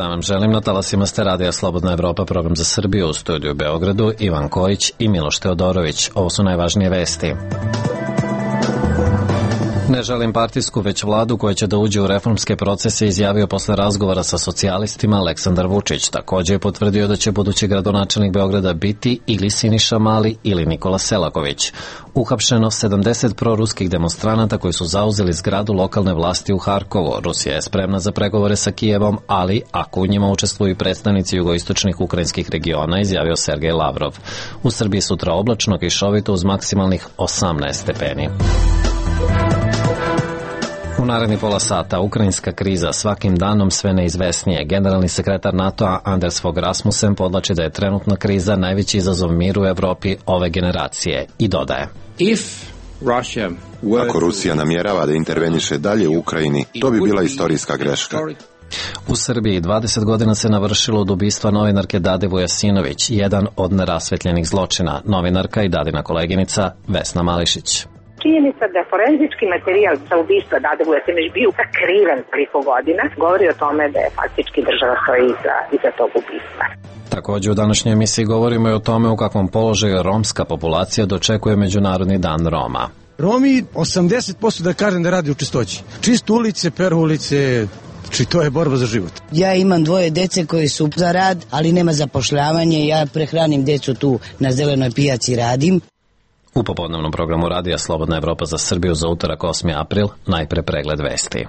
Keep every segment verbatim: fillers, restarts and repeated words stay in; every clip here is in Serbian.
dan vam želim. Na talasima ste radija Slobodna Evropa, program za Srbiju, u studiju u Beogradu Ivan Kojić i Miloš Teodorović. Ovo su najvažnije vesti. Ne želim partijsku, već vladu koja će da uđe u reformske procese, izjavio posle razgovora sa socijalistima Aleksandar Vučić. Također je potvrdio da će budući gradonačelnik Beograda biti ili Siniša Mali ili Nikola Selaković. Uhapšeno sedamdeset proruskih demonstranata koji su zauzeli zgradu lokalne vlasti u Harkovu. Rusija je spremna za pregovore sa Kijevom, ali ako u njima učestvuju predstavnici jugoistočnih ukrajinskih regiona, izjavio Sergej Lavrov. U Srbiji sutra oblačno, kišovito uz maksimalnih osamnaest stepeni. U naredni pola sata ukrajinska kriza svakim danom sve neizvesnije. Generalni sekretar NATO-a Anders Fogh Rasmussen podlači da je trenutna kriza najveći izazov miru u Evropi ove generacije i dodaje: Ako Rusija namjerava da interveniše dalje u Ukrajini, to bi bila istorijska greška. U Srbiji dvadeset godina se navršilo od ubistva novinarke Dade Vujasinović, jedan od nerasvetljenih zločina. Novinarka i Dadina koleginica Vesna Mališić. Činjenica da forenzički materijal sa ubistva Dade Vujasinović bio sakriven toliko godina govori o tome da je faktički država stoji iza, iza tog ubistva. Također u današnjoj emisiji govorimo i o tome u kakvom položaju romska populacija dočekuje Međunarodni dan Roma. Romi osamdeset posto da kažem da radi u čistoći. Čistu ulice, peru ulice, či to je borba za život. Ja imam dvoje dece koji su za rad, ali nema zapošljavanje. Ja prehranim decu tu na zelenoj pijaci, radim. U popodnevnom programu radija Slobodna Evropa za Srbiju za utorak osmi april, najpre pregled vesti.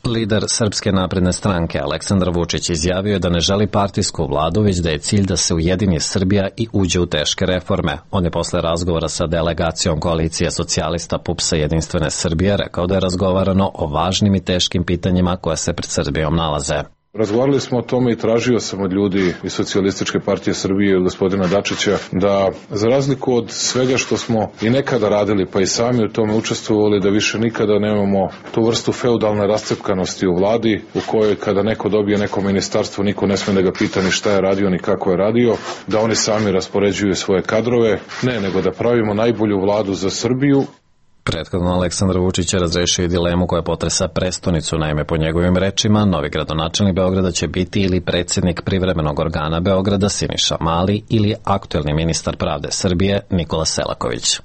Lider Srpske napredne stranke Aleksandar Vučić izjavio je da ne želi partijsku vladu, već da je cilj da se ujedini Srbija i uđe u teške reforme. On je posle razgovora sa delegacijom koalicije socijalista P U P S-a Jedinstvene Srbije rekao da je razgovarano o važnim i teškim pitanjima koja se pred Srbijom nalaze. Razgovarali smo o tome i tražio sam od ljudi iz Socijalističke partije Srbije i od gospodina Dačića da, za razliku od svega što smo i nekada radili, pa i sami u tome učestvovali, da više nikada nemamo tu vrstu feudalne rascepkanosti u vladi, u kojoj kada neko dobije neko ministarstvo, niko ne sme da ga pita ni šta je radio, ni kako je radio, da oni sami raspoređuju svoje kadrove, ne, nego da pravimo najbolju vladu za Srbiju. Prethodno Aleksandar Vučić je razrešio i dilemu koja potresa prestonicu. Naime, po njegovim rečima, novi gradonačelnik Beograda će biti ili predsjednik privremenog organa Beograda Siniša Mali ili aktuelni ministar pravde Srbije Nikola Selaković.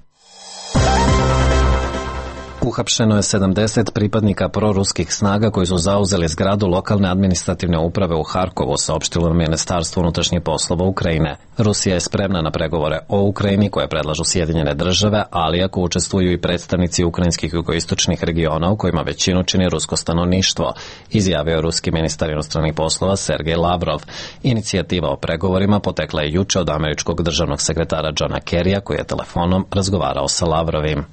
Uhapšeno je sedamdeset pripadnika proruskih snaga koji su zauzeli zgradu lokalne administrativne uprave u Harkovu, saopštilo Ministarstvo unutrašnjih poslova Ukrajine. Rusija je spremna na pregovore o Ukrajini koje predlažu Sjedinjene države, ali ako učestvuju i predstavnici ukrajinskih jugoistočnih regiona u kojima većinu čini rusko stanovništvo, izjavio ruski ministar inostranih poslova Sergej Lavrov. Inicijativa o pregovorima potekla je juče od američkog državnog sekretara Johna Kerrya koji je telefonom razgovarao sa Lavrovim.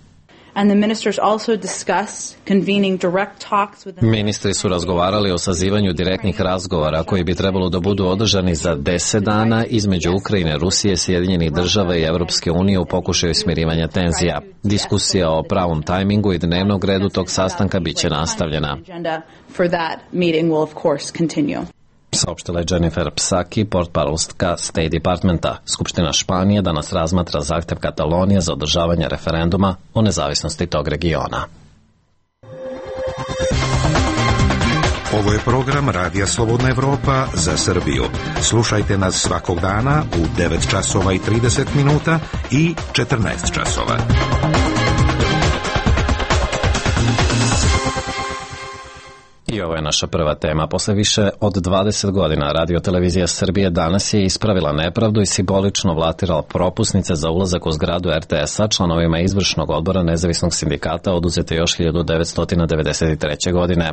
Ministri su razgovarali o sazivanju direktnih razgovora koji bi trebalo da budu održani za deset dana između Ukrajine, Rusije, Sjedinjenih država i Evropske unije u pokušaju smirivanja tenzija. Diskusija o pravom tajmingu i dnevnog redu tog sastanka biće nastavljena. Saopštila je Jennifer Psaki, portparolstka State Departmenta. Skupština Španije danas razmatra zahtev Katalonije za održavanje referenduma o nezavisnosti tog regiona. Ovo je program Radija Slobodna Evropa za Srbiju. Slušajte nas svakog dana u devet časova i trideset minuta i četrnaest časova. I ovo je naša prva tema. Posle više od dvadeset godina Radio Televizija Srbije danas je ispravila nepravdu i simbolično vlatirala propusnice za ulazak u zgradu R T S-a članovima izvršnog odbora nezavisnog sindikata oduzete još hiljadu devetsto devedeset treće. godine.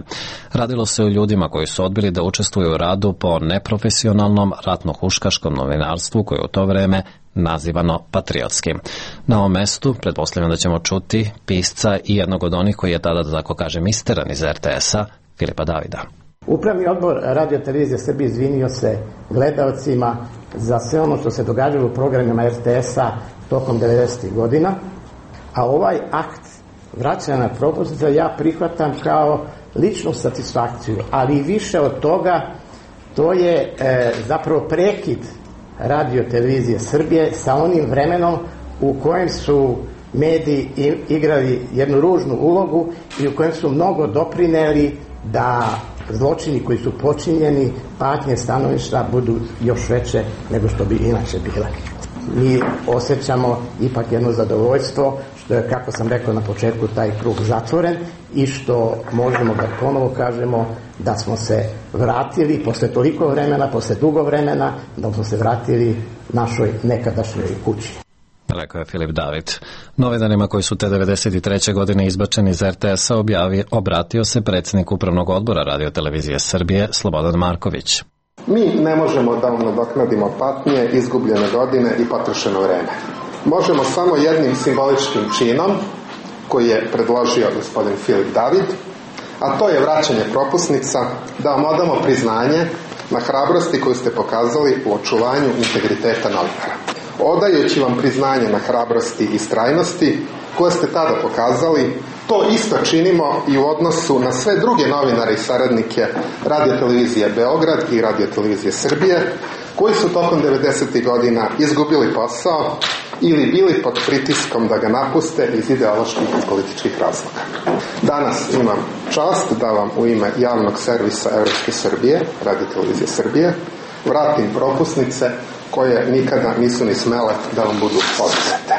Radilo se o ljudima koji su odbili da učestvuju u radu po neprofesionalnom ratno-huškaškom novinarstvu koje u to vreme nazivano patriotskim. Na ovom mestu pretpostavljam da ćemo čuti pisca i jednog od onih koji je tada, da tako kažem, isteran iz R T S-a, Filipa Davida. Upravni odbor Radio Televizije Srbije izvinio se gledaocima za sve ono što se događalo u programima R T S-a tokom devedesetih godina, a ovaj akt vraćanja na propusnice ja prihvatam kao ličnu satisfakciju, ali i više od toga, to je e, zapravo prekid Radio Televizije Srbije sa onim vremenom u kojem su mediji igrali jednu ružnu ulogu i u kojem su mnogo doprineli da zločini koji su počinjeni, patnje stanovišta budu još veće nego što bi inače bile. Mi osjećamo ipak jedno zadovoljstvo što je, kako sam rekao na početku, taj krug zatvoren i što možemo da ponovo kažemo da smo se vratili posle toliko vremena, posle dugo vremena, da smo se vratili našoj nekadašnjoj kući. Rekao je Filip David. Novinarima koji su te devedeset treće godine izbačeni iz er te esa objavio, obratio se predsjednik Upravnog odbora Radio-televizije Srbije Slobodan Marković. Mi ne možemo da vam nadoknadimo patnje, izgubljene godine i potrošeno vreme. Možemo samo jednim simboličkim činom koji je predložio gospodin Filip David, a to je vraćanje propusnica, da vam odamo priznanje na hrabrosti koju ste pokazali u očuvanju integriteta novinara. Odajući vam priznanje na hrabrosti i strajnosti koje ste tada pokazali, to isto činimo i u odnosu na sve druge novinare i saradnike Radio-televizije Beograd i Radio-televizije Srbije, koji su tokom devedesetih godina izgubili posao ili bili pod pritiskom da ga napuste iz ideoloških i političkih razloga. Danas imam čast da vam u ime javnog servisa Evropske Srbije, Radio-televizije Srbije, vratim propusnice koje nikada nisu ni smele da vam budu oduzete.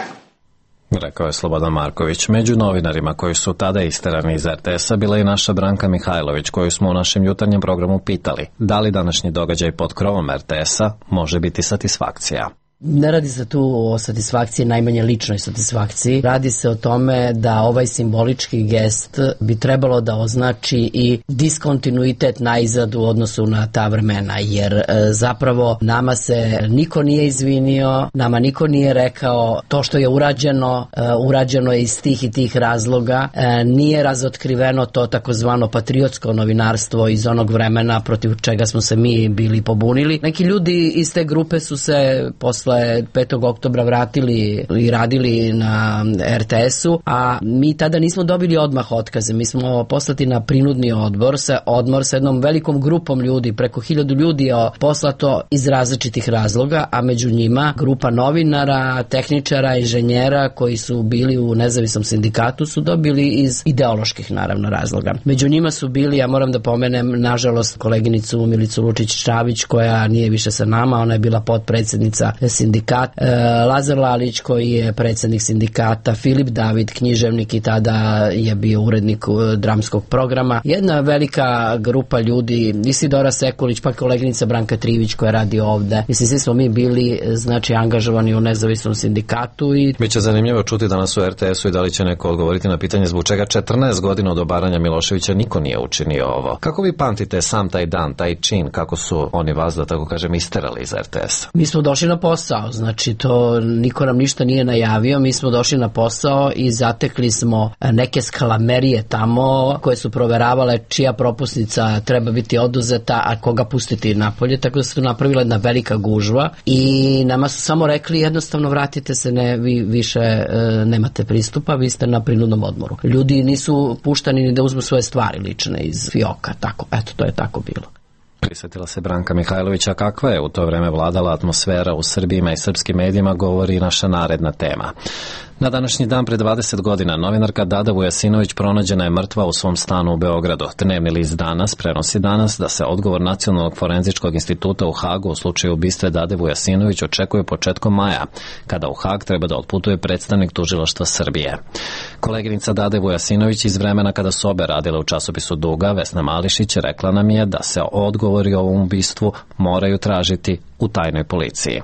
Rekao je Slobodan Marković. Među novinarima koji su tada isterani iz er te esa bila i naša Branka Mihajlović, koju smo u našem jutarnjem programu pitali da li današnji događaj pod krovom er te esa može biti satisfakcija. Ne radi se tu o satisfakciji, najmanje ličnoj satisfakciji. Radi se o tome da ovaj simbolički gest bi trebalo da označi i diskontinuitet najzad u odnosu na ta vremena, jer e, zapravo nama se niko nije izvinio, nama niko nije rekao to što je urađeno, e, urađeno je iz tih i tih razloga, e, nije razotkriveno to takozvano patriotsko novinarstvo iz onog vremena protiv čega smo se mi bili pobunili. Neki ljudi iz te grupe su se posle petog oktobra vratili i radili na er te esu, a mi tada nismo dobili odmah otkaze. Mi smo poslati na prinudni odbor, sa odmor sa jednom velikom grupom ljudi, preko hiljadu ljudi je poslato iz različitih razloga, a među njima grupa novinara, tehničara, inženjera koji su bili u nezavisnom sindikatu su dobili iz ideoloških, naravno, razloga. Među njima su bili, ja moram da pomenem, nažalost, koleginicu Milicu Lučić-Čavić, koja nije više sa nama, ona je bila potpredsednica sindikat, e, Lazar Lalić koji je predsjednik sindikata, Filip David, književnik i tada je bio urednik dramskog programa. Jedna velika grupa ljudi, Isidora Sekulić, pa koleginica Branka Trivić koja radi ovde. Mislim, svi smo mi bili, znači, angažovani u nezavisnom sindikatu. I biće zanimljivo čuti danas u er te esu i da li će neko odgovoriti na pitanje zbog čega četrnaest godina od obaranja Miloševića niko nije učinio ovo. Kako vi pamtite sam taj dan, taj čin, kako su oni vas, da tako kažem, isterali iz er te esa? Mi smo došli na posao, znači to niko nam ništa nije najavio, mi smo došli na posao i zatekli smo neke skalamerije tamo koje su proveravale čija propusnica treba biti oduzeta, a koga pustiti napolje, tako da se tu napravila jedna velika gužva i nama su samo rekli jednostavno vratite se, ne, vi više e, nemate pristupa, vi ste na prinudnom odmoru. Ljudi nisu puštani ni da uzmu svoje stvari lične iz fioka, tako, eto, to je tako bilo. Prisjetila se Branka Mihajlovića kakva je u to vreme vladala atmosfera u Srbijima i srpskim medijima, govori naša naredna tema. Na današnji dan pre dvadeset godina novinarka Dada Vujasinović pronađena je mrtva u svom stanu u Beogradu. Dnevni list Danas prenosi danas da se odgovor Nacionalnog forenzičkog instituta u Hagu u slučaju ubistva Dade Vujasinović očekuje početkom maja, kada u Hag treba da otputuje predstavnik tužilaštva Srbije. Koleginica Dade Vujasinović iz vremena kada su obe radile u časopisu Duga, Vesna Mališić, rekla nam je da se odgovori o ovom ubistvu moraju tražiti u tajnoj policiji.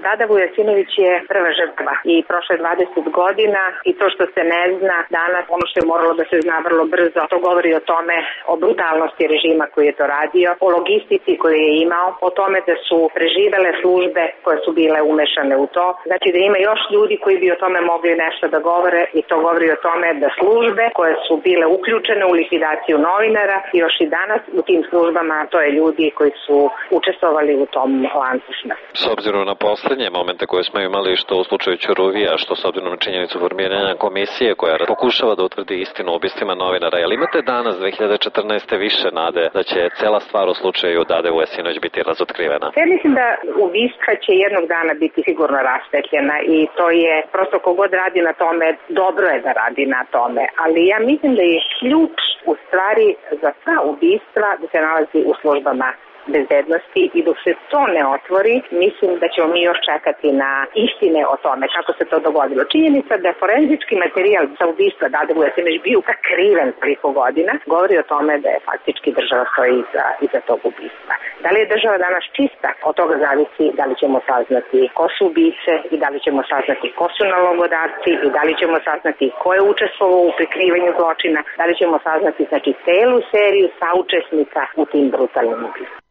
Dada Vujasinović je prva žrtva i prošle dvadeset godina i to što se ne zna danas, ono što je moralo da se zna vrlo brzo, to govori o tome, o brutalnosti režima koji je to radio, o logistici koju je imao, o tome da su preživele službe koje su bile umešane u to. Znači da ima još ljudi koji bi o tome mogli nešto da govore i to govori o tome da službe koje su bile uključene u likvidaciju novinara još i danas u tim službama, to je ljudi koji su učestvovali u tom lancu smrti. S obzirom na poslednje momente koje smo imali, što u slučaju Ćuruvija, što s obzirom na činjenicu formiranja komisije koja pokušava da utvrdi istinu o ubistvima novinara, jel imate danas dve hiljade četrnaeste. više nade da će cela stvar u slučaju Dade Vujasinović biti razotkrivena? Ja mislim da ubistva će jednog dana biti sigurno raspetljena i to je prosto kogod radi na tome, dobro je da radi na tome, ali ja mislim da je ključ u stvari za sva ubistva da se nalazi u službama bezbednosti i dok se to ne otvori, mislim da ćemo mi još čekati na istine o tome kako se to dogodilo. Činjenica da je forenzički materijal za ubistva Dade Vujasević bio kakriven preko godina, govori o tome da je faktički država stoji iza, iza tog ubistva. Da li je država danas čista? Od toga zavisi da li ćemo saznati ko su ubice i da li ćemo saznati ko su nalogodavci i da li ćemo saznati ko je učestvovao u prikrivanju zločina, da li ćemo saznati znači celu seriju saučesnika u tim brutalnim ubistvima.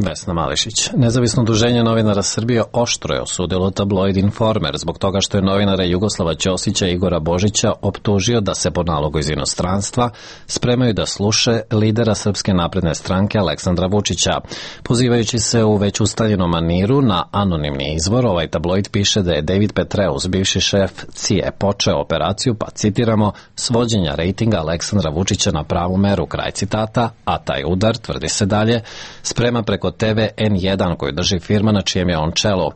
Vesna Mališić. Nezavisno udruženje novinara Srbije oštro je osudilo tabloid Informer zbog toga što je novinara Jugoslava Ćosića i Igora Božića optužio da se po nalogu iz inostranstva spremaju da sluše lidera Srpske napredne stranke Aleksandra Vučića. Pozivajući se u već ustaljenom maniru na anonimni izvor, ovaj tabloid piše da je David Petreus, bivši šef C I A, počeo operaciju, pa citiramo, svođenja rejtinga Aleksandra Vučića na pravu meru, kraj citata, a taj udar, tvrdi se dalje, sprema preko T V N jedan koju drži firma na čijem je on čelu.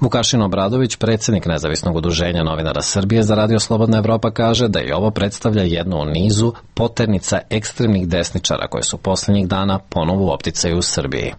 Vukašin Obradović, predsjednik Nezavisnog udruženja novinara Srbije za Radio Slobodna Evropa, kaže da i ovo predstavlja jednu u nizu poternica ekstremnih desničara koje su posljednjih dana ponovo u opticaju u Srbiji.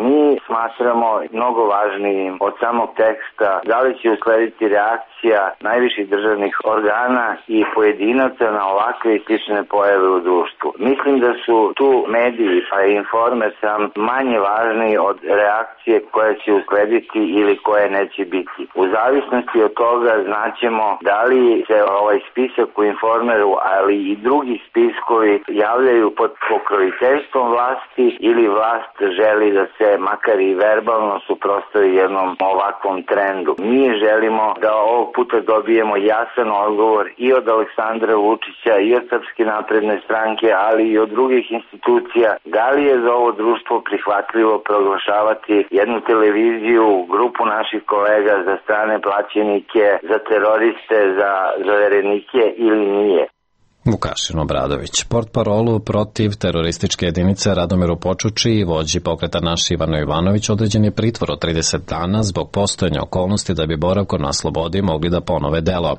Mi smatramo mnogo važnijim od samog teksta da li će uslediti reakcija najviših državnih organa i pojedinaca na ovakve i slične pojave u društvu. Mislim da su tu mediji pa i Informer sam manje važni od reakcije koja će uslediti ili koje neće biti. U zavisnosti od toga znaćemo da li se ovaj spisak u Informeru, ali i drugi spiskovi javljaju pod pokroviteljstvom vlasti ili vlast želi da se makar i verbalno suprotstavi jednom ovakvom trendu. Mi želimo da ovog puta dobijemo jasan odgovor i od Aleksandra Vučića i od Srpske napredne stranke, ali i od drugih institucija. Da li je za ovo društvo prihvatljivo proglašavati jednu televiziju, grupu naših kolega za strane plaćenike, za teroriste, za zaverenike ili nije? Vukašin Obradović. Portparolu protiv terorističke jedinice Radomiru Počuči i vođi pokreta Naš Ivano Ivanović određen je pritvor od trideset dana zbog postojanja okolnosti da bi boravkom na slobodi mogli da ponove delo.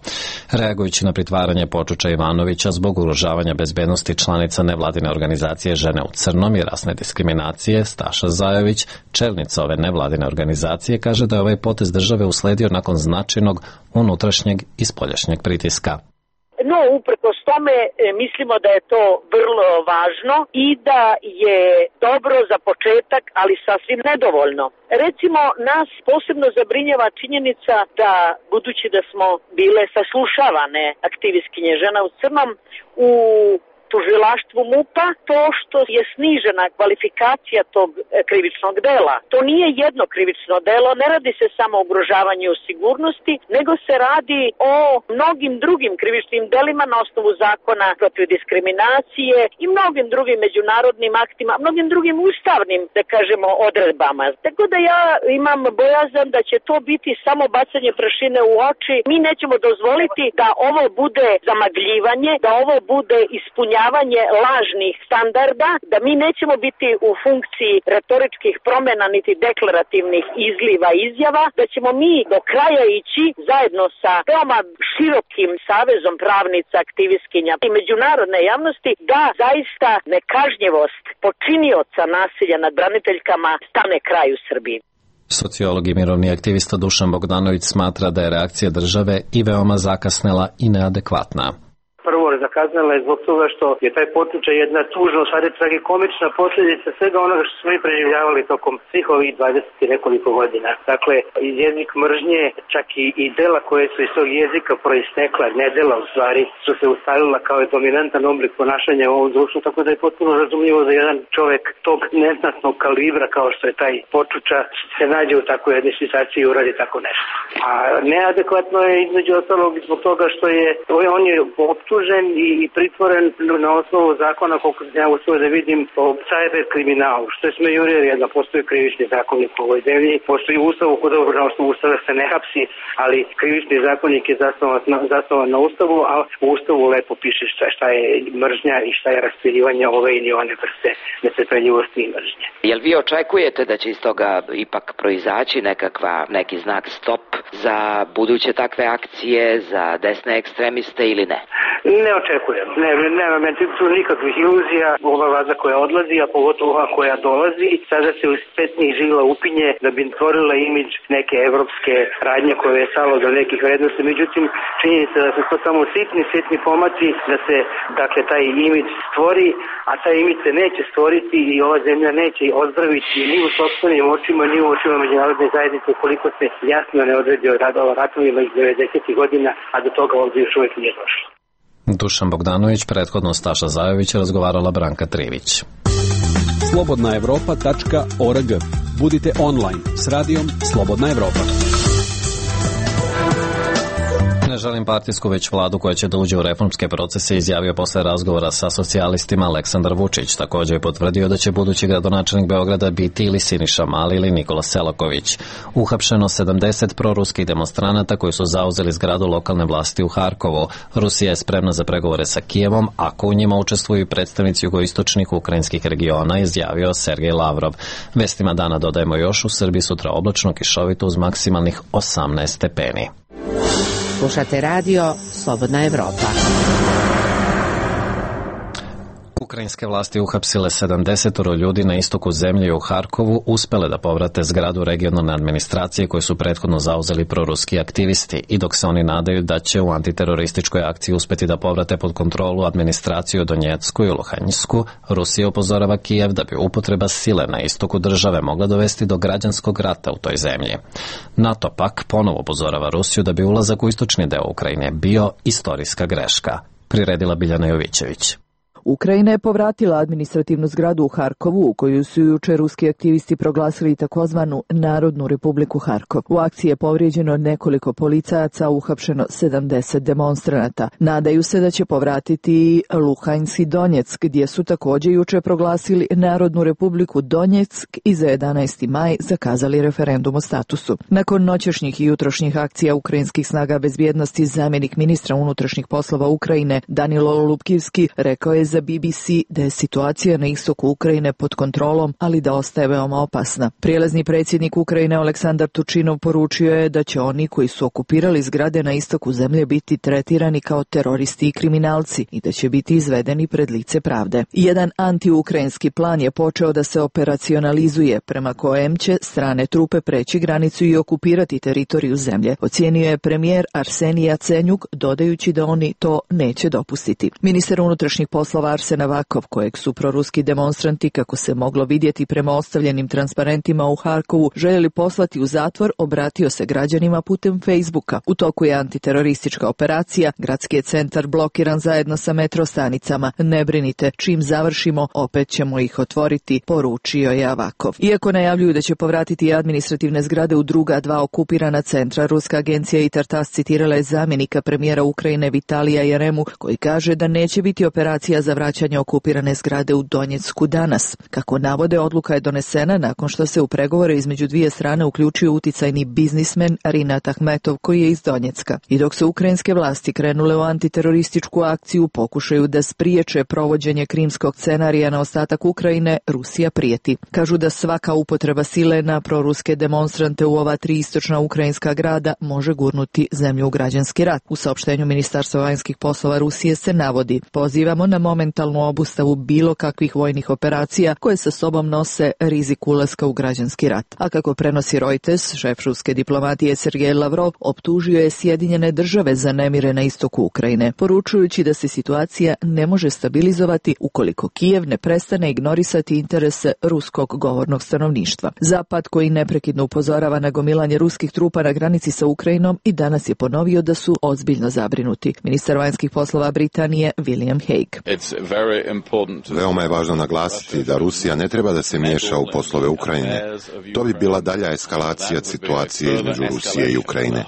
Reagujući na pritvaranje Počuča Ivanovića zbog ugrožavanja bezbednosti članica nevladine organizacije Žene u crnom i rasne diskriminacije, Staša Zajović, čelnica ove nevladine organizacije, kaže da je ovaj potez države usledio nakon značajnog unutrašnjeg i spoljašnjeg pritiska. No, uprkos tome mislimo da je to vrlo važno i da je dobro za početak, ali sasvim nedovoljno. Recimo, nas posebno zabrinjava činjenica da, budući da smo bile saslušavane aktivistkinje Žena u crnom, u tužilaštvu MUP-a, to što je snižena kvalifikacija tog krivičnog dela. To nije jedno krivično delo, ne radi se samo o ugrožavanju sigurnosti, nego se radi o mnogim drugim krivičnim delima na osnovu zakona protiv diskriminacije i mnogim drugim međunarodnim aktima, mnogim drugim ustavnim, da kažemo, odredbama. Tako da ja imam bojazan da će to biti samo bacanje prašine u oči. Mi nećemo dozvoliti da ovo bude zamagljivanje, da ovo bude ispunjavanje lažnih standarda, da mi nećemo biti u funkciji retoričkih promjena niti deklarativnih izliva izjava, da ćemo mi do kraja ići zajedno sa veoma širokim savezom pravnica, aktivistkinja i međunarodne javnosti da zaista nekažnjivost počinioca nasilja nad braniteljkama stane kraj u Srbiji. Sociolog i mirovni aktivista Dušan Bogdanović smatra da je reakcija države i veoma zakasnela i neadekvatna. Prvo, zakazala je zbog toga što je taj potučaj jedna tužna, u stvari tragikomična posljedica svega onoga što smo mi preživljavali tokom svih ovih dvadeset i nekoliko godina. Dakle, jezik mržnje, čak i, i dela koje su iz tog jezika proistekla, ne dela u stvari, su se ustalila kao je dominantan oblik ponašanja u ovom društvu, tako da je potpuno razumljivo da jedan čovjek tog neznatnog kalibra kao što je taj Počuča se nađe u takvoj jednoj situaciji i uradi tako nešto. A neadekvatno je između ostalog zbog toga što je, on je optužen i, i pritvoren na osnovu zakona, koliko ja uspio da vidim, o cyber kriminalu, što je smejurija, da postoji krivični zakonik u ovoj zemlji, postoji ustav, kod dobro na osnovu ustava se ne hapsi, ali krivični zakonik je zasnovan na, zasnovan na ustavu, a u ustavu lepo piše šta, šta je mržnja i šta je raspirivanje ove ili one vrste netrpeljivosti i mržnje. Jel vi očekujete da će iz toga ipak proizaći nekakva, neki znak stop za buduće takve akcije, za desne ekstremiste ili ne? Ne ne očekujem. Ne, nema me tu nikakvih iluzija. Ova vlada koja odlazi, a pogotovo ova koja dolazi, sada se u petnih žila upinje da bi stvorila imidž neke evropske radnje koje je stalo do nekih vrednosti. Međutim, činjenica da su to samo sitni, sitni pomaci da se, dakle, taj imidž stvori, a taj imidž se neće stvoriti i ova zemlja neće ozdraviti ni u sopstvenim očima, ni u očima međunarodne zajednice koliko se jasno ne odredi o ratovima iz devedesetih godina, a do toga ovdje još uvijek nije došlo. Dušan Bogdanović, prethodno Staša Zajović, razgovarala Branka Trivić. slobodna evropa tačka org. Budite online s radijom Slobodna Evropa. Ne želim partijsku, već vladu koja će da uđe u reformske procese, izjavio posle razgovora sa socijalistima Aleksandar Vučić. Također je potvrdio da će budući gradonačelnik Beograda biti ili Siniša Mali ili Nikola Selaković. Uhapšeno sedamdeset proruskih demonstranata koji su zauzeli zgradu lokalne vlasti u Harkovu. Rusija je spremna za pregovore sa Kijevom, ako u njima učestvuju predstavnici jugoistočnih ukrajinskih regiona, izjavio Sergej Lavrov. Vestima dana dodajemo još, u Srbiji sutra oblačno, kišovito uz maksimalnih osamnaest stepeni. Slušate radio Slobodna Evropa. Ukrajinske vlasti uhapsile sedamdeset ljudi na istoku zemlje u Harkovu, uspele da povrate zgradu regionalne administracije koju su prethodno zauzeli proruski aktivisti, i dok se oni nadaju da će u antiterorističkoj akciji uspeti da povrate pod kontrolu administraciju Donjecku i Luhanjsku, Rusija upozorava Kijev da bi upotreba sile na istoku države mogla dovesti do građanskog rata u toj zemlji. NATO pak ponovo upozorava Rusiju da bi ulazak u istočni deo Ukrajine bio istorijska greška. Priredila Biljana Jovićević. Ukrajina je povratila administrativnu zgradu u Harkovu, u koju su juče ruski aktivisti proglasili takozvanu Narodnu republiku Harkov. U akciji je povrijeđeno nekoliko policajaca, uhapšeno sedamdeset demonstranata. Nadaju se da će povratiti Luhansk i Donjeck, gdje su također juče proglasili Narodnu republiku Donjeck i za jedanaesti maj zakazali referendum o statusu. Nakon noćešnjih i jutrošnjih akcija ukrajinskih snaga bezbjednosti, zamjenik ministra unutrašnjih poslova Ukrajine Danilo Lupkivski rekao je za B B C da je situacija na istoku Ukrajine pod kontrolom, ali da ostaje veoma opasna. Prijelazni predsjednik Ukrajine Aleksandar Tučinov poručio je da će oni koji su okupirali zgrade na istoku zemlje biti tretirani kao teroristi i kriminalci i da će biti izvedeni pred lice pravde. Jedan antiukrajinski plan je počeo da se operacionalizuje, prema kojem će strane trupe preći granicu i okupirati teritoriju zemlje, ocijenio je premijer Arsenij Jacenjuk, dodajući da oni to neće dopustiti. Ministar unutrašnjih poslova Arsen Avakov, kojeg su proruski demonstranti, kako se moglo vidjeti prema ostavljenim transparentima u Harkovu, željeli poslati u zatvor, obratio se građanima putem Facebooka. U toku je antiteroristička operacija, gradski je centar blokiran zajedno sa metro stanicama. Ne brinite, čim završimo, opet ćemo ih otvoriti, poručio je Avakov. Iako najavljuju da će povratiti administrativne zgrade u druga dva okupirana centra, ruska agencija Intertas citirala je zamjenika premijera Ukrajine Vitalija Jaremu, koji kaže da neće biti operacija za vraćanje okupirane zgrade u Donjecku danas. Kako navode, odluka je donesena nakon što se u pregovore između dvije strane uključio uticajni biznismen Rinat Ahmetov, koji je iz Donjecka. I dok se ukrajinske vlasti krenule u antiterorističku akciju, pokušaju da spriječe provođenje krimskog scenarija na ostatak Ukrajine, Rusija prijeti. Kažu da svaka upotreba sile na proruske demonstrante u ova tri istočna ukrajinska grada može gurnuti zemlju u građanski rat. U saopštenju Ministarstva vanjskih poslova Rusije se navodi: pozivamo na momentalnu obustavu bilo kakvih vojnih operacija koje sa sobom nose rizik ulaska u građanski rat. A kako prenosi Reuters, šef ruske diplomatije Sergej Lavrov optužio je Sjedinjene države za nemire na istoku Ukrajine, poručujući da se situacija ne može stabilizovati ukoliko Kijev ne prestane ignorisati interese ruskog govornog stanovništva. Zapad, koji neprekidno upozorava na gomilanje ruskih trupa na granici sa Ukrajinom, i danas je ponovio da su ozbiljno zabrinuti. Ministar vanjskih poslova Britanije William Hague. Veoma je važno naglasiti da Rusija ne treba da se miješa u poslove Ukrajine. To bi bila dalja eskalacija situacije između Rusije i Ukrajine.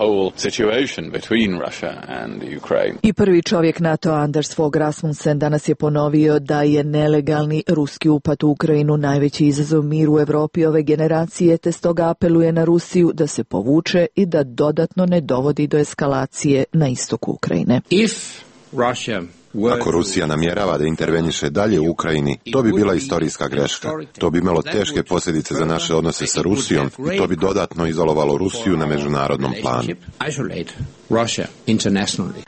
I prvi čovjek NATO Anders Fogh Rasmussen danas je ponovio da je nelegalni ruski upad u Ukrajinu najveći izazov miru u Evropi ove generacije, te stoga apeluje na Rusiju da se povuče i da dodatno ne dovodi do eskalacije na istoku Ukrajine. If Russia Ako Rusija namjerava da interveniše dalje u Ukrajini, to bi bila istorijska greška. To bi imalo teške posljedice za naše odnose sa Rusijom i to bi dodatno izolovalo Rusiju na međunarodnom planu.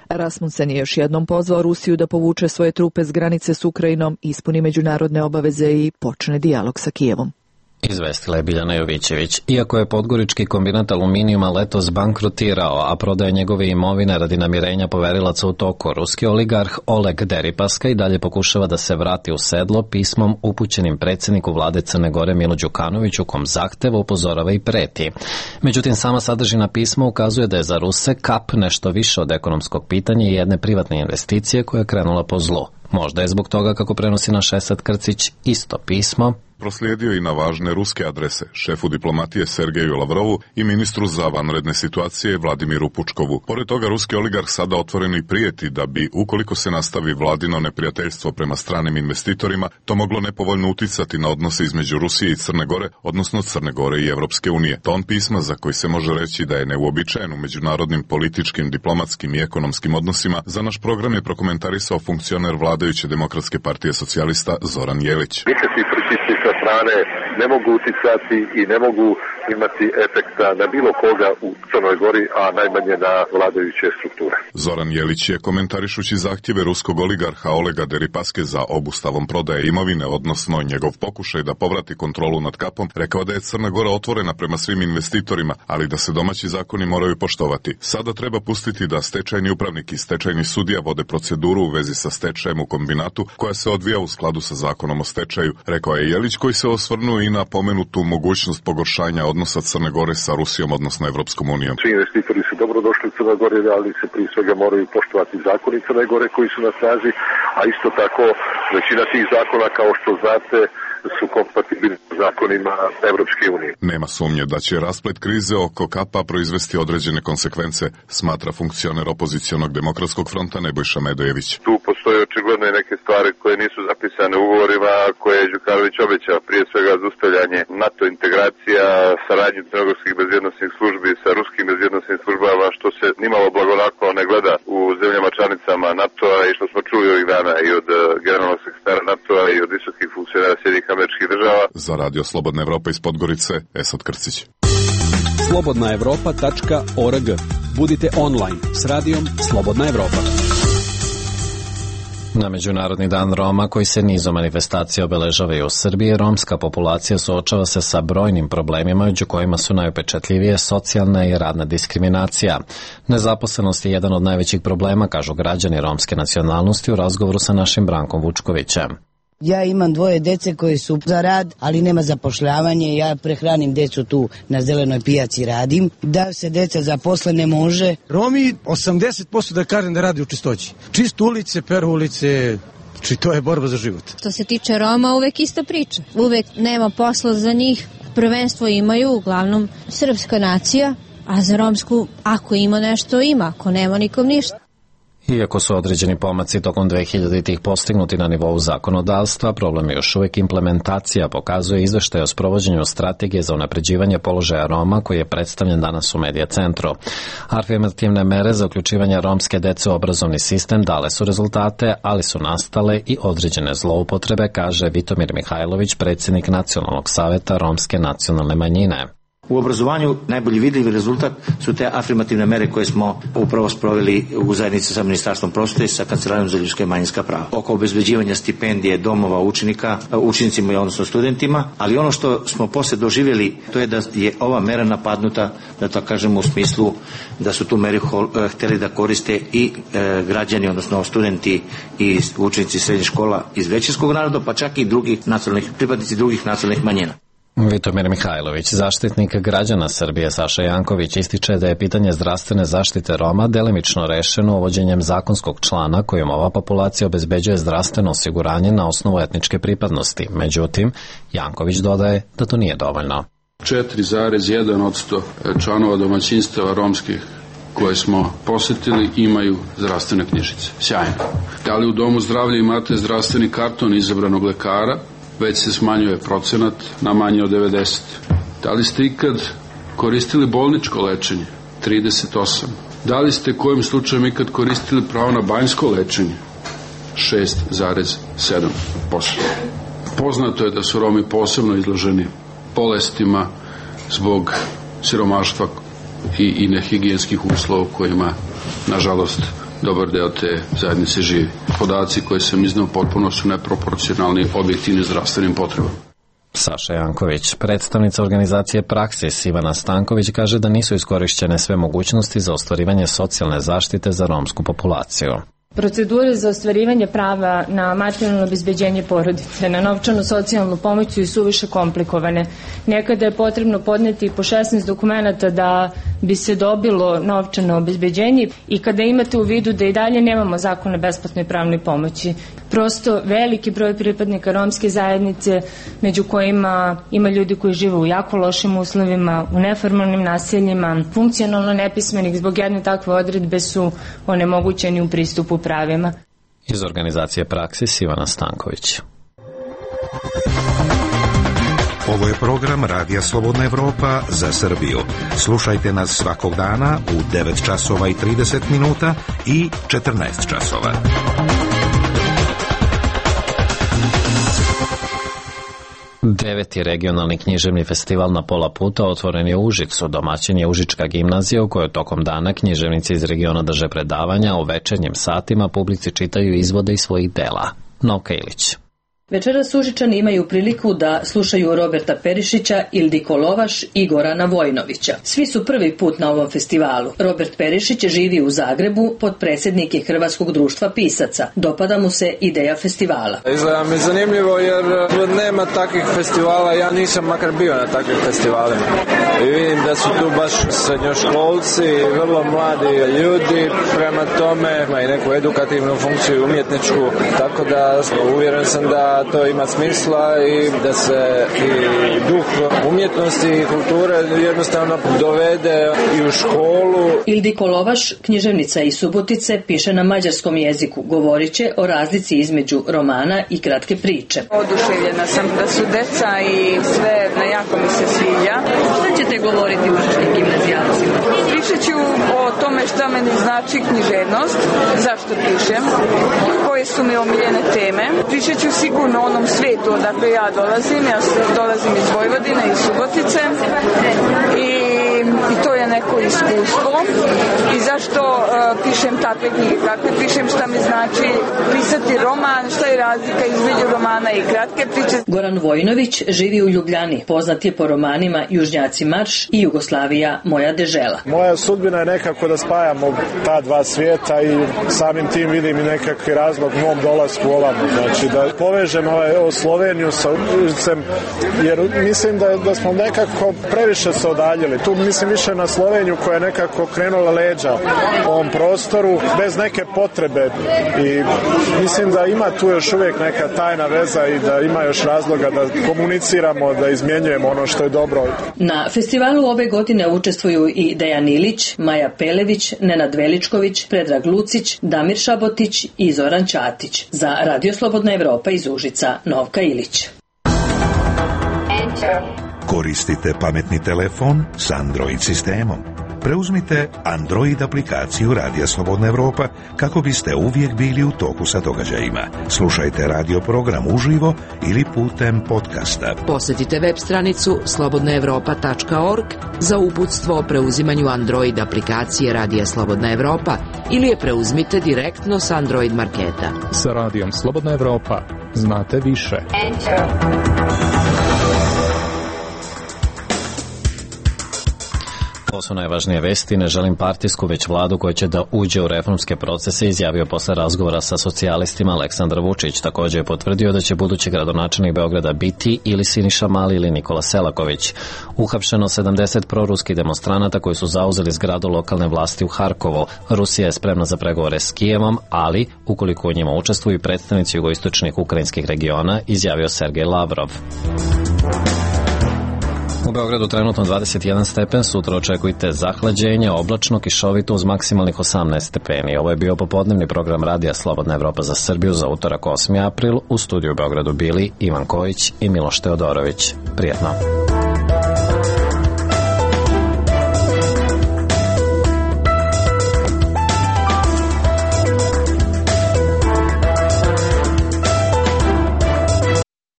Rasmussen je još jednom pozvao Rusiju da povuče svoje trupe s granice s Ukrajinom, ispuni međunarodne obaveze i počne dijalog sa Kijevom. Izvestila je Biljana Jovićević. Iako je podgorički kombinat aluminijuma letos bankrotirao, a prodaja njegove imovine radi namirenja poverilaca u toku, ruski oligarh Oleg Deripaska i dalje pokušava da se vrati u sedlo pismom upućenim predsjedniku vlade Crne Gore Milo Đukanoviću, kom zahteva, upozorava i preti. Međutim, sama sadržina pisma ukazuje da je za Ruse kap nešto više od ekonomskog pitanja i jedne privatne investicije koja je krenula po zlu. Možda je zbog toga, kako prenosi naš Esad Krcić, isto pismo proslijedio i na važne ruske adrese, šefu diplomatije Sergeju Lavrovu i ministru za vanredne situacije Vladimiru Pučkovu. Pored toga, ruski oligarh sada otvoreno i prijeti da bi, ukoliko se nastavi vladino neprijateljstvo prema stranim investitorima, to moglo nepovoljno uticati na odnose između Rusije i Crne Gore, odnosno Crne Gore i Evropske unije. Ton pisma, za koji se može reći da je neuobičajen u međunarodnim političkim, diplomatskim i ekonomskim odnosima, za naš program je prokomentarisao funkcioner vladajuće Demokratske partije socijalista Zoran Jelić. Sa strane ne mogu uticati i ne mogu imati efekta na bilo koga u Crnoj Gori, a najmanje na vladajuće strukture. Zoran Jelić je, komentarišući zahtjeve ruskog oligarha Olega Deripaske za obustavom prodaje imovine, odnosno njegov pokušaj da povrati kontrolu nad kapom, rekao da je Crna Gora otvorena prema svim investitorima, ali da se domaći zakoni moraju poštovati. Sada treba pustiti da stečajni upravnik i stečajni sudija vode proceduru u vezi sa stečajem u kombinatu, koja se odvija u skladu sa zakonom o stečaju, rekao je Jelić, koji se osvrnuo i na pomenutu mogućnost pogoršanja odnosa Crne Gore sa Rusijom, odnosno Evropskom unijom. Svi investitori su dobro došli u Crnoj Gori, ali se prije svega moraju poštovati zakoni Crne Gore koji su na snazi, a isto tako većina tih zakona, kao što znate, su kompatibilni s zakonima Evropske unije. Nema sumnje da će rasplet krize oko kapa proizvesti određene konsekvence, smatra funkcioner opozicionog demokratskog fronta Nebojša Medojević. Tu postoje očigledno i neke stvari koje nisu zapisane u ugovorima koje je Đukanović obećao, prije svega zaustavljanje NATO integracija, saradnju crnogorskih bezbjednosnih službi sa ruskim bezbjednosnim službama, što se nimalo blagonaklono ne gleda u zemljama članicama NATO-a i što smo čuli ovih dana i od generalnog sekretara NATO-a i od visokih funkcionera Sjedinjenih Američkih Država. Za Radio Slobodna Evropa iz Podgorice, Esad Krcić. slobodna evropa tačka org. Budite online s radijom Slobodna Evropa. Na Međunarodni dan Roma, koji se nizom manifestacija obeležava i u Srbiji, romska populacija suočava se sa brojnim problemima, među kojima su najupečatljivije socijalna i radna diskriminacija. Nezaposlenost je jedan od najvećih problema, kažu građani romske nacionalnosti u razgovoru sa našim Brankom Vučkovićem. Ja imam dvoje dece koji su za rad, ali nema zapošljavanje. Ja prehranim decu tu na zelenoj pijaci, radim. Da se deca zaposle ne može. Romi osamdeset posto da kažem da radi u čistoći. Čist ulice, peru ulice, či to je borba za život. Što se tiče Roma, uvek ista priča. Uvek nema posla za njih. Prvenstvo imaju uglavnom srpska nacija, a za romsku, ako ima nešto, ima. Ako nema, nikom ništa. Iako su određeni pomaci tokom dvehiljaditih postignuti na nivou zakonodavstva, problem je još uvijek implementacija, pokazuje izveštaj o sprovođenju strategije za unapređivanje položaja Roma koji je predstavljen danas u Medija centru. Afirmativne mere za uključivanje romske dece u obrazovni sistem dale su rezultate, ali su nastale i određene zloupotrebe, kaže Vitomir Mihajlović, predsjednik Nacionalnog saveta romske nacionalne manjine. U obrazovanju najbolji vidljivi rezultat su te afirmativne mere koje smo upravo sproveli u zajednici sa Ministarstvom prosvete i sa Kancelarijom za ljudska i manjinska prava. Oko obezbeđivanja stipendije domova učenika, učenicima i odnosno studentima, ali ono što smo posle doživjeli, to je da je ova mera napadnuta, da to kažemo u smislu da su tu meri hteli da koriste i e, građani, odnosno studenti i učenici srednjih škola iz većinskog naroda, pa čak i drugih nacionalnih, pripadnici drugih nacionalnih manjina. Vitomir Mihajlović, zaštitnik građana Srbije Saša Janković, ističe da je pitanje zdravstvene zaštite Roma delimično rešeno uvođenjem zakonskog člana kojim ova populacija obezbeđuje zdravstveno osiguranje na osnovu etničke pripadnosti. Međutim, Janković dodaje da to nije dovoljno. četiri zarez jedan posto članova domaćinstava romskih koje smo posetili imaju zdravstvene knjižice. Sjajno. Da li u domu zdravlja imate zdravstveni karton izabranog lekara, već se smanjuje procenat na manje od devedeset. Da li ste ikad koristili bolničko lečenje? trideset osam. Da li ste kojim slučajem ikad koristili pravo na banjsko lečenje? šest zarez sedam posto. Poznato je da su Romi posebno izloženi bolestima zbog siromaštva i, i nehigijenskih uslova u kojima, nažalost, dobar deo te zajednice živi. Podaci koje sam iznao potpuno su neproporcionalni objektivnim zdravstvenim potrebama. Saša Janković, predstavnica organizacije Praksis Ivana Stanković, kaže da nisu iskorišćene sve mogućnosti za ostvarivanje socijalne zaštite za romsku populaciju. Procedure za ostvarivanje prava na materijalno obezbeđenje porodice, na novčanu socijalnu pomoć su i suviše komplikovane. Nekada je potrebno podneti po šesnaest dokumenata da bi se dobilo novčano obezbeđenje i kada imate u vidu da i dalje nemamo zakon o besplatnoj pravnoj pomoći. Prosto veliki broj pripadnika romske zajednice, među kojima ima ljudi koji žive u jako lošim uslovima, u neformalnim naseljima, funkcionalno nepismenih zbog jedne takve odredbe su onemogućeni u pristupu pravima. Iz organizacije Praksis Ivana Stanković. Ovo je program Radija Slobodna Evropa za Srbiju. Slušajte nas svakog dana u devet časova i trideset minuta i četrnaest časova. Deveti regionalni književni festival Na pola puta otvoren je u Užicu. Domaćin je Užička gimnazija u kojoj tokom dana književnici iz regiona drže predavanja, a u večernjim satima publici čitaju izvode iz svojih dela. Novka Ilić. Večeras Užičani imaju priliku da slušaju Roberta Perišića, Ildiko Lovaš i Gorana Vojnovića. Svi su prvi put na ovom festivalu. Robert Perišić živi u Zagrebu, potpredsjednik je Hrvatskog društva pisaca. Dopada mu se ideja festivala. Izgleda mi zanimljivo jer nema takvih festivala, ja nisam makar bio na takvih festivalima. I vidim da su tu baš srednjoškolci, vrlo mladi ljudi, prema tome ima i neku edukativnu funkciju umjetničku, tako da uvjeren sam da to ima smisla i da se i duh umjetnosti i kulture jednostavno dovede i u školu. Ildiko Lovaš, književnica iz Subotice, piše na mađarskom jeziku. Govorit će o razlici između romana i kratke priče. Oduševljena sam da su deca i sve na jako mi se sviđa. Šta ćete govoriti užičkim gimnazijalcima? Pričat ću o tome šta meni znači književnost, zašto pišem, koje su mi omiljene teme. Pričat ću sigurno o onom svijetu odakle ja dolazim. Ja dolazim iz Vojvodine, iz Subotice i, i to je neko iskustvo. I zašto uh, pišem takve knjige, kakve pišem, šta mi znači pisati roman, šta je razlika između romana i kratke priče. Goran Vojnović živi u Ljubljani, poznat je po romanima Južnjaci marš i Jugoslavija moja dežela. Moja sudbina je nekako da spajamo ta dva svijeta i samim tim vidim i nekakvi razlog mom dolasku ovamo. Znači da povežem ovaj, ovo Sloveniju sa Užicem, jer mislim da, da smo nekako previše se odaljili. Tu mislim više na Sloveniju koja je nekako krenula leđa ovom prostoru bez neke potrebe i mislim da ima tu još uvijek neka tajna veza i da ima još razloga da komuniciramo, da izmjenjujemo ono što je dobro. Na festivalu ove godine učestvuju i Dejan Ilić, Maja Pelević, Nenad Veličković, Predrag Lucić, Damir Šabotić i Zoran Ćatić. Za Radio Slobodna Evropa iz Užica, Novka Ilić. Koristite pametni telefon s Android sistemom. Preuzmite Android aplikaciju Radija Slobodna Evropa kako biste uvijek bili u toku sa događajima. Slušajte radio program uživo ili putem podcasta. Posjetite web stranicu slobodna evropa tačka org za uputstvo o preuzimanju Android aplikacije Radija Slobodna Evropa ili je preuzmite direktno s Android marketa. Sa Radijom Slobodna Evropa znate više. Enter. Ovo su najvažnije vesti. Ne želim partijsku, već vladu koja će da uđe u reformske procese, izjavio posle razgovora sa socijalistima Aleksandar Vučić. Također je potvrdio da će budući gradonačelnik Beograda biti ili Siniša Mali ili Nikola Selaković. Uhapšeno sedamdeset proruskih demonstranata koji su zauzeli zgradu lokalne vlasti u Harkovu. Rusija je spremna za pregovore s Kijevom, ali ukoliko u njima učestvuju predstavnici jugoistočnih ukrajinskih regiona, izjavio Sergej Lavrov. U Beogradu trenutno dvadeset jedan stepen, sutra očekujte zahlađenje, oblačno, kišovito uz maksimalnih osamnaest stepeni. Ovo je bio popodnevni program Radija Slobodna Evropa za Srbiju za utorak osmi april. U studiju u Beogradu bili Ivan Kojić i Miloš Teodorović. Prijetno.